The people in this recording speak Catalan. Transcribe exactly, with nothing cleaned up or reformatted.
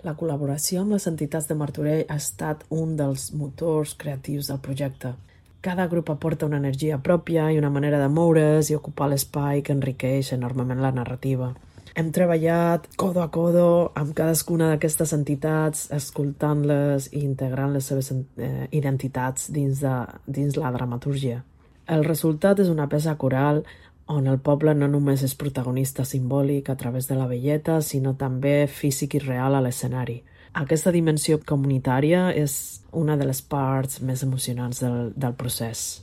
La col·laboració amb les entitats de Martorell ha estat un dels motors creatius del projecte. Cada grup aporta una energia pròpia i una manera de moure's i ocupar l'espai que enriqueix enormement la narrativa. Hem treballat codo a codo amb cadascuna d'aquestes entitats, escoltant-les i integrant les seves eh, identitats dins, de, dins la dramatúrgia. El resultat és una peça coral on el poble no només és protagonista simbòlic a través de la velleta, sinó també físic i real a l'escenari. Aquesta dimensió comunitària és una de les parts més emocionants del, del procés.